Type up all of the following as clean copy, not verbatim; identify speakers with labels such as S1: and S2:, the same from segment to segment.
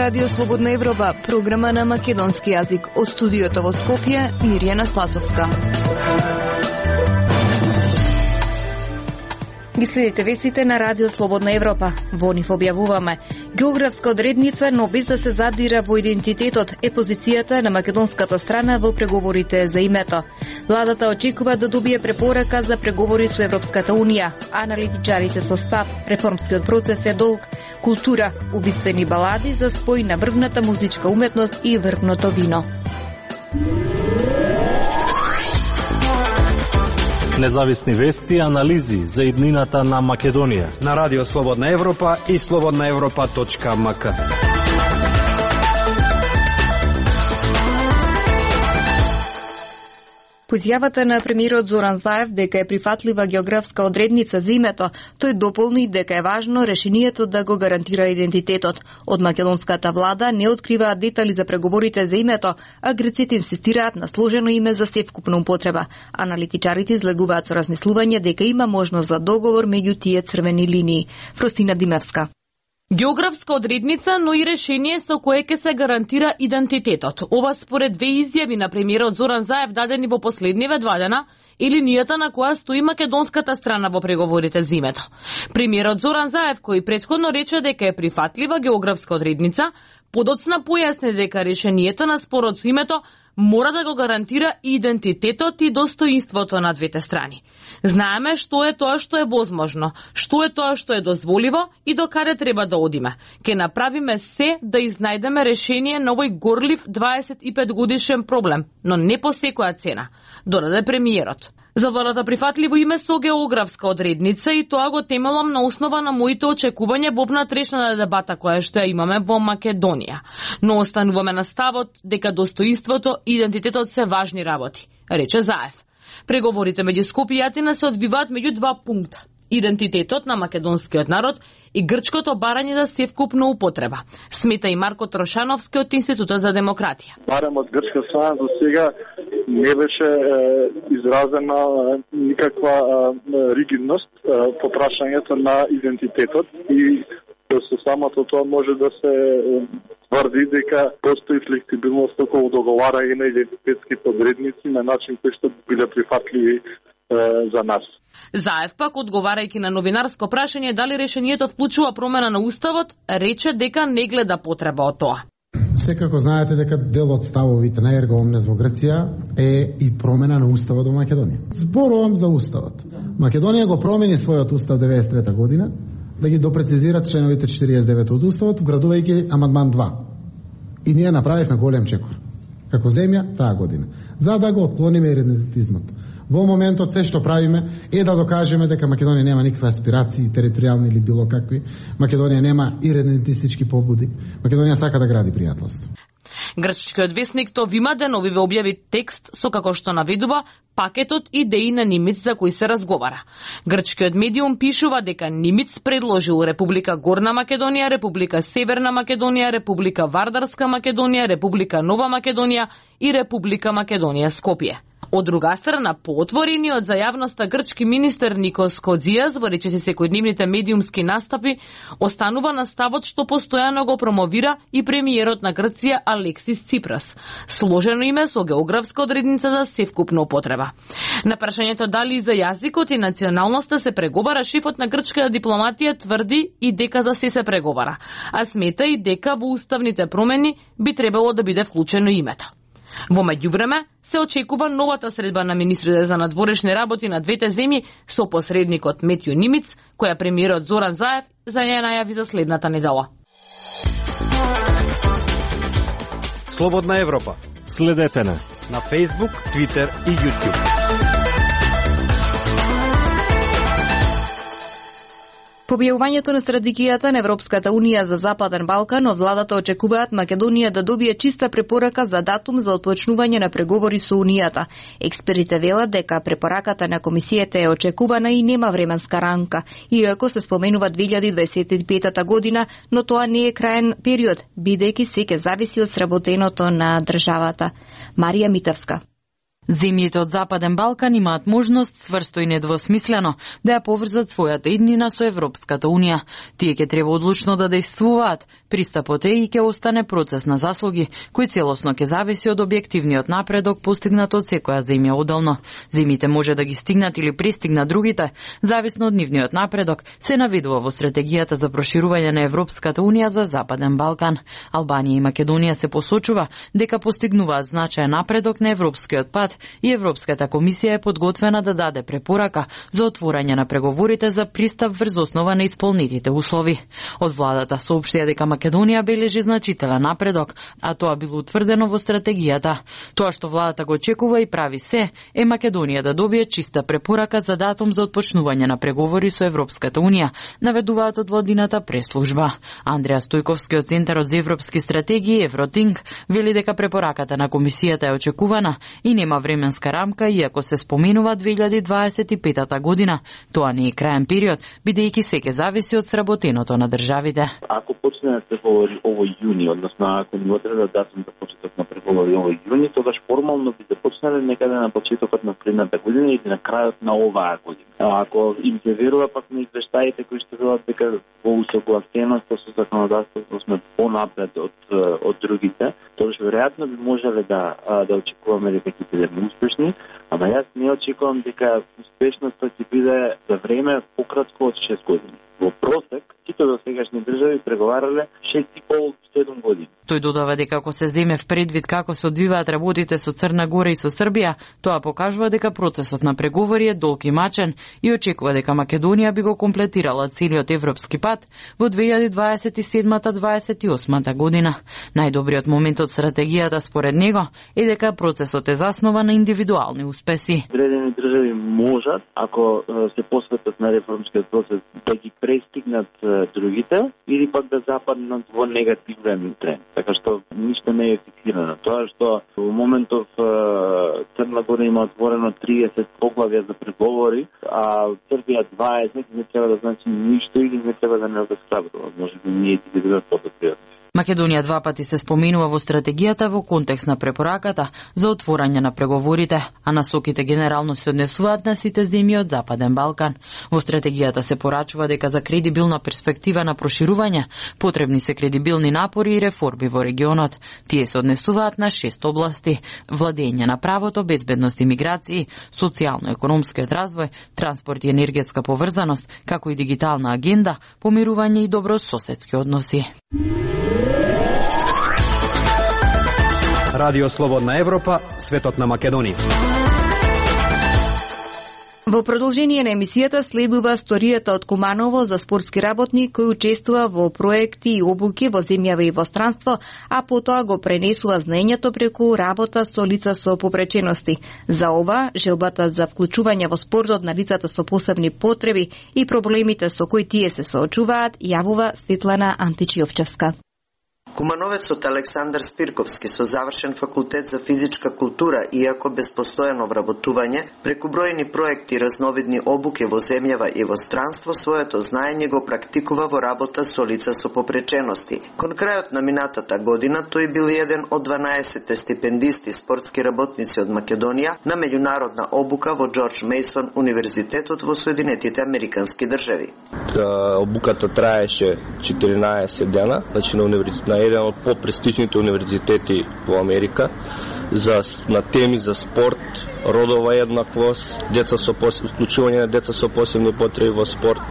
S1: Радио Слободна Европа, програма на македонски јазик. Од студиото во Скопје, Мирјана Спасовска. Ги следите вестите на Радио Слободна Европа. Во нив објавуваме: географска одредница, но без да се задира во идентитетот, е позицијата на македонската страна во преговорите за името. Владата очекува да добие препорака за преговори со Европската Унија. Аналитичарите со став: реформскиот процес е долг. Култура, убиствени балади за спој на врвната музичка уметност и врвното вино.
S2: Независни вести и анализи за иднината на Македонија
S3: на Радио Слободна Европа и slobodnaevropa.mk.
S1: По изјавата на премиерот Зоран Заев дека е прифатлива географска одредница за името, тој дополни дека е важно решението да го гарантира идентитетот. Од македонската влада не откриваат детали за преговорите за името, а грците инсистираат на сложено име за севкупна употреба. Аналитичарите излегуваат со размислување дека има можност за договор меѓу тие црвени линии. Фросина Димевска.
S4: Географска одредница, но и решение со кое ќе се гарантира идентитетот. Ова според две изјави на премиерот Зоран Заев дадени во последниве 2 дена и линијата на која стои македонската страна во преговорите за името. Премиерот Зоран Заев, кој претходно рече дека е прифатлива географска одредница, подоцна појасни дека решението на спорот со името мора да го гарантира идентитетот и достоинството на двете страни. Знаеме што е тоа што е возможно, што е тоа што е дозволиво и до каде треба да одиме. Ке направиме се да изнајдеме решение на овој горлив 25 годишен проблем, но не по секоја цена, додаде премиерот. За владата прифатливо име со географска одредница и тоа го темелам на основа на моите очекувања во внатрешната дебата која што ја имаме во Македонија. Но остануваме на ставот дека достоинството и идентитетот се важни работи, рече Заев. Преговорите меѓу Скопје и Атина се одвиваат меѓу 2 пункта: идентитетот на македонскиот народ и грчкото барање за севкупна употреба, смета и Марко Трошановски од Институтот за демократија.
S5: Барем од грчка страна за сега не беше изразена никаква ригидност по прашањето на идентитетот и со самото тоа може да се тврди дека постои флексибилност околу договарање на идентитетските одредници на начин кој што биле прифатливи за нас.
S4: Заев пак, одговарајќи на новинарско прашање дали решението вклучува промена на уставот, рече дека не гледа потреба од тоа.
S6: Секако знаете дека дел од ставовите на Ерго Омнес во Грција е и промена на уставот во Македонија. Зборувам за уставот. Македонија го промени својот устав 93 година да ги допрецизира членовите 49 од уставот, вградувајќи амандман 2. И ние направивме голем чекор како земја таа година, за да го отклониме идентитизмот. Во моментот се што правиме е да докажеме дека Македонија нема никакви аспирации, територијални или било какви. Македонија нема идентистички побуди. Македонија сака да гради пријателство.
S4: Грчкиот весник Товима Деновиве објави текст со како што наведува пакетот идеи на Нимиц за кои се разговара. Грчкиот медиум пишува дека Нимиц предложил Република Горна Македонија, Република Северна Македонија, Република Вардарска Македонија, Република Нова Македонија и Република Македонија Скопје. Од друга страна, поотворениот за јавноста грчки министер Никос Кодзијас во речиси секојдневните медиумски настапи останува на ставот што постојано го промовира и премиерот на Грција Алексис Ципрас. Сложено име со географска одредница за севкупна употреба. На прашањето дали за јазикот и националноста се преговара, шефот на грчката дипломатија тврди и дека за се преговара, а смета и дека во уставните промени би требало да биде вклучено името. Во меѓувреме се очекува новата средба на министрите за надворешни работи на двете земји со посредникот Метју Нимиц, која премиерот Зоран Заев за ја најави за следната недела.
S3: Слободна Европа.
S2: Следете на
S3: Facebook, Twitter и YouTube.
S1: По објавувањето на стратегијата на Европската Унија за Западен Балкан, од владата очекуваат Македонија да добие чиста препорака за датум за отпочнување на преговори со Унијата. Експертите велат дека препораката на комисијата е очекувана и нема временска рамка, иако се споменува 2025 година, но тоа не е краен период, бидејќи се ќе зависи од сработеното на државата. Марија Митевска.
S7: Земјите од Западен Балкан имаат можност цврсто и недвосмислено да ја поврзат својата иднина со Европската Унија. Тие ќе треба одлучно да действуваат. Пристапот е и ќе остане процес на заслуги, кој целосно ќе зависи од објективниот напредок постигнат од секоја земја одделно. Земјите може да ги стигнат или пристигнат другите, зависно од нивниот напредок, се наведува во стратегијата за проширување на Европската Унија за Западен Балкан. Албанија и Македонија се посочува дека постигнуваат значаен напредок на европскиот пат и Европската комисија е подготвена да даде препорака за отворање на преговорите за пристап врз основа на исполнетите услови. Од владата соопштија дека Македонија бележи значителен напредок, а тоа било утврдено во стратегијата. Тоа што владата го очекува и прави се е Македонија да добие чиста препорака за датум за отпочнување на преговори со Европската Унија, наведуваат од владината преслужба. Андреа Стојковски од Центарот за европски стратегии Евротинг вели дека препораката на комисијата е очекувана и нема временска рамка, иако се споменува 2025 година. Тоа не е краен период, бидејќи секе зависи од сработеното на државите.
S8: Ако почне да се говори овој јуни, односно ако ни одреда датум за почеток на преговори овој јуни, тогаш формално би започнале некаде на почетокот на следната година или на крајот на оваа година. Ако им се верува пак на извештаите кои што велат дека во усогласеност со законодавството сме понапред од другите, тогаш веројатно би можеле да очекуваме дека ќе бидеме успешни, ама јас не очекувам дека успешноста ќе биде за време пократко од 6 години. Во просек, сите до сегашни држави преговарале 6,5-7 години.
S7: Тој додава дека ако се земе в предвид како се одвиваат работите со Црна Гора и со Србија, тоа покажува дека процесот на преговори е долг и мачен и очекува дека Македонија би го комплетирала целиот европски пат во 2027-28 година. Најдобриот момент од стратегијата според него е дека процесот е заснова на индивидуални успеси.
S8: Одредени држави можат, ако се посветат на реформскиот процес, да ги престигнат другите или пак да западнат во негативен тренд. Така што ништо не е фиксирано. Тоа што во моментов Црна Гора има отворено 30 поглавја за преговори, а Србија 20, не треба да значи ништо или не треба да не обесхрабрува. Може би ние ќе бидеме подобри.
S7: Македонија два пати се споменува во стратегијата во контекст на препораката за отворање на преговорите, а насоките генерално се однесуваат на сите земји од Западен Балкан. Во стратегијата се порачува дека за кредибилна перспектива на проширување потребни се кредибилни напори и реформи во регионот. Тие се однесуваат на 6 области: владење на правото, безбедност и миграции, социјално-економскиот развој, транспорт и енергетска поврзаност, како и дигитална агенда, помирување и добрососедски односи.
S3: Радио Слободна Европа, светот на Македонија.
S1: Во продолжение на емисијата следува сторијата од Куманово за спортски работник кој учествува во проекти и обуки во земјава и во странство, а потоа го пренесува знаењето преку работа со лица со попречености. За ова, желбата за вклучување во спортот на лицата со посебни потреби и проблемите со кои тие се соочуваат, јавува Светлана Античиовчевска.
S9: Кумановецот Александар Спирковски со завршен факултет за физичка култура, иако без постојано вработување, преку бројни проекти и разновидни обуки во земјава и во странство, своето знаење го практикува во работа со лица со попречености. Кон крајот на минатата година, тој бил еден од 12 стипендисти спортски работници од Македонија на меѓународна обука во Џорџ Мејсон универзитетот во Соединетите Американски држави.
S10: Обуката траеше 14 дена, значи на еден од попрестижните универзитети во Америка на теми за спорт, родова еднаквост, вклучување на деца со посебни потреби во спорт,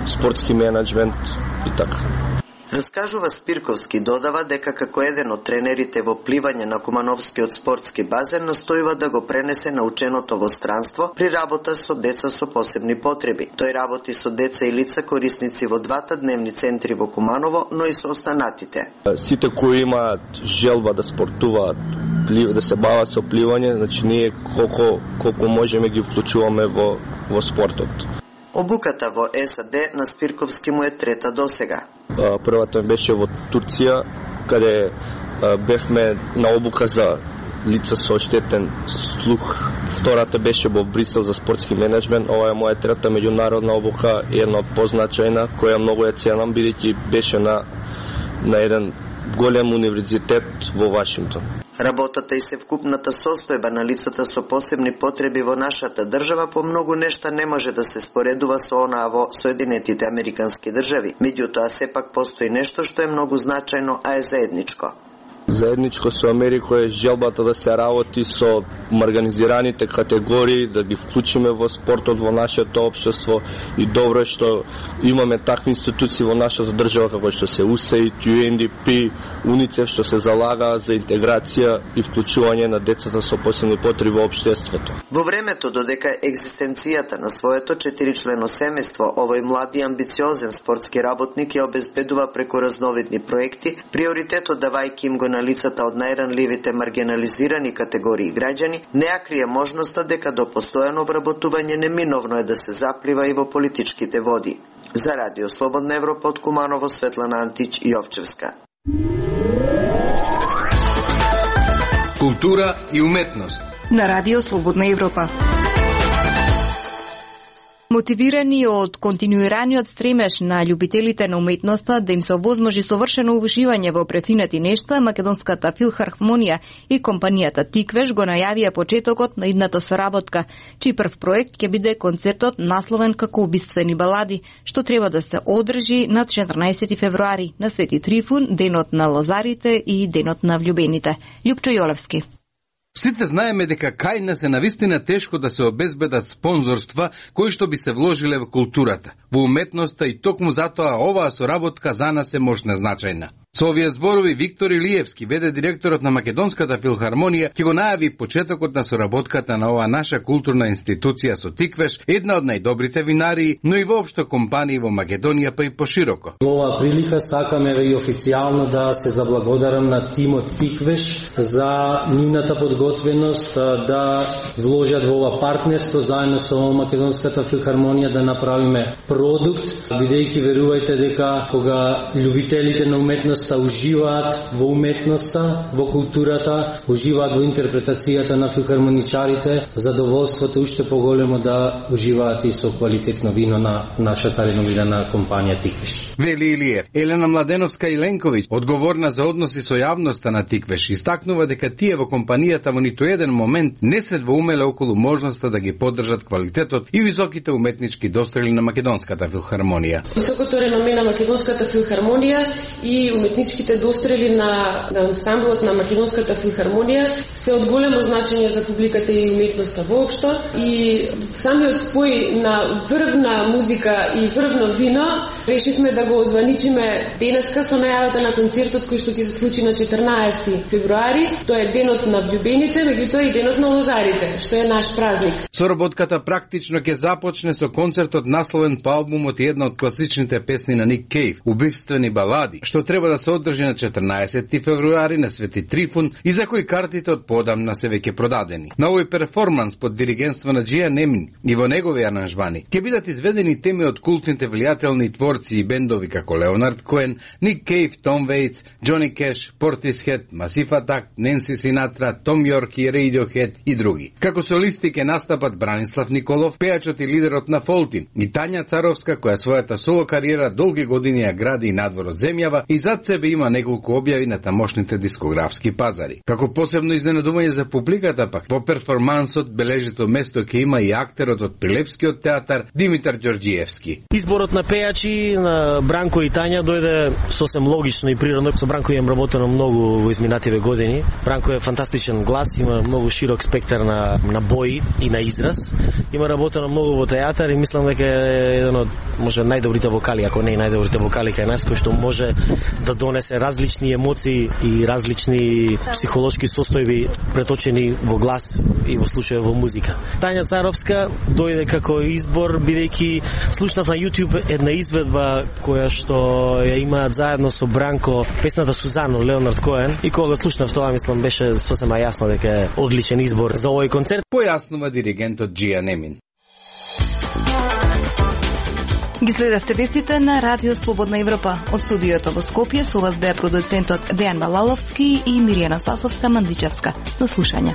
S10: спортски менеджмент и така.
S9: Раскажува Спирковски, додава дека како еден од тренерите во пливање на Кумановскиот спортски базен настојува да го пренесе наученото во странство при работа со деца со посебни потреби. Тој работи со деца и лица корисници во двата дневни центри во Куманово, но и со останатите.
S10: Сите кои имаат желба да спортуваат, да се бават со пливање, значи ние колку можеме ги вклучуваме во спортот.
S9: Обуката во САД на Спирковски му е трета досега.
S10: Првата беше во Турција, каде бевме на обука за лица со оштетен слух. Втората беше во Брисел за спортски менеджмент. Ова е моја трета меѓународна обука, една позначајна, која многу ја ценам, бидејќи беше на еден голем универзитет во Вашингтон.
S9: Работата и севкупната состојба на лицата со посебни потреби во нашата држава по многу нешта не може да се споредува со онаа во Соединетите Американски држави. Меѓутоа, сепак постои нешто што е многу значајно, а е заедничко.
S10: Заедничко со Америка е желбата да се работи со марганизираните категории, да ги вклучиме во спортот во нашето општество и добро е што имаме такви институции во нашата држава како што се USAID, UNDP, УНИЦЕФ што се залагаа за интеграција и вклучување на децата со посебни потреби во општеството.
S9: Во времето додека екзистенцијата на своето 4-члено семејство, овој млад и амбициозен спортски работник ја обезбедува преку разновидни проекти, приоритетот давајќи им го на лицата од најранливите маргинализирани категории граѓани, не ја крие можноста дека до постојано вработување неминовно е да се заплива и во политичките води. За Радио Слободна Европа од Куманово, Светлана Антич и Јовчевска.
S11: Култура и уметност
S1: на Радио Слободна Европа. Мотивирани од континуираниот стремеж на љубителите на уметноста да им се овозможи совршено уживање во префинати нешта, Македонската филхармонија и компанијата Тиквеш го најавија почетокот на идната соработка, чиј прв проект ќе биде концертот насловен како Убиствени балади, што треба да се одржи на 14 февруари на Свети Трифун, денот на лозарите и денот на влюбените. Љупчо Јолевски.
S11: Сите знаеме дека кај нас е навистина тешко да се обезбедат спонзорства кои што би се вложиле во културата, во уметноста и токму затоа оваа соработка за нас е мощна значајна. Со овие зборови Виктор Илиевски, веде директорот на Македонската филхармонија, ќе го најави почетокот на соработката на оваа наша културна институција со Тиквеш, една од најдобрите винарии, но и воопшто компании во Македонија па и пошироко.
S12: Во оваа прилика сакаме и официјално да се заблагодарам на тимот Тиквеш за нивната подготвеност да вложат во ова партнерство заедно со Македонската филхармонија да направиме продукт, бидејќи верувајте дека кога љубителите на уметност уживаат во уметноста, во културата, уживаат во интерпретацијата на филхармоничарите, задоволството уште поголемо да уживаат и со квалитетно вино на нашата реномирана компанија Тиквеш.
S11: Вели Илиев. Елена Младеновска-Иленковиќ, одговорна за односи со јавноста на Тиквеш, истакнува дека тие во компанијата во ниту еден момент не се двоумеле околу можноста да ги поддржат квалитетот и високите уметнички дострели на Македонската филхармонија.
S13: Високото реноме на Македонската филхармонија и уметничките дострели на ансамблот на Македонската филхармонија се од големо значење за публиката и уметноста воопшто и самиот спој на врвна музика и врвно вино решивме да го озваничиме денеска со најавата на концертот кој што ќе се случи на 14 февруари. Тоа е денот на влюбените, меѓутоа и денот на лозарите, што е наш празник.
S11: Соработката практично ќе започне со концертот насловен по албумот и една од класичните песни на Ник Кейв, Убиствени балади, што треба да се одржи на 14 февруари на Свети Трифун и за кој картите од подамна се веќе продадени. На овој перформанс под диригентство на Джија Немин и во негови аранжмани ќе бидат изведени теми од култните влијателни творци и бендови како Леонард Коен, Ник Кейв, Том Вейтс, Джони Кеш, Портисхед, Масиф Атак, Ненси Синатра, Том Йорк и Radiohead и други. Како солисти ќе настапат Бранислав Николов, пејачот и лидерот на Фолтин, и Тања Царовска, која својата соло кариера долги години ја гради и надвор од земјава и зад себе има неколку објави на тамошните дискографски пазари. Како посебно изненадување за публиката пак, во перформансот бележито место ќе има и актерот од Прилепскиот театар Димитар Ѓорѓиевски.
S14: Изборот на пејачи на Бранко и Тања дојде сосем логично и природно. Со Бранко имам работено многу во изминативе години. Бранко е фантастичен глас, има многу широк спектар на бои и на израз. Има работено многу во театар и мислам дека е еден од може најдобрите вокали, ако не и најдобрите вокали кај нас, кој што може да донесе различни емоции и различни психолошки состојби преточени во глас и во случај во музика. Тања Царовска дојде како избор бидејќи слушнав на YouTube една изведба која што ја имаат заедно со Бранко песната Сузано, Леонард Коен, и кога слушнав тоа мислам беше сосема јасно дека е одличен избор за овој концерт.
S11: Појаснува диригентот Джија Немин.
S1: Ги следевте вестите на Радио Слободна Европа. Од студиото во Скопје со вас беа продуцентот Дејан Балаловски и Миријана Спасовска-Мандичевска. До слушање.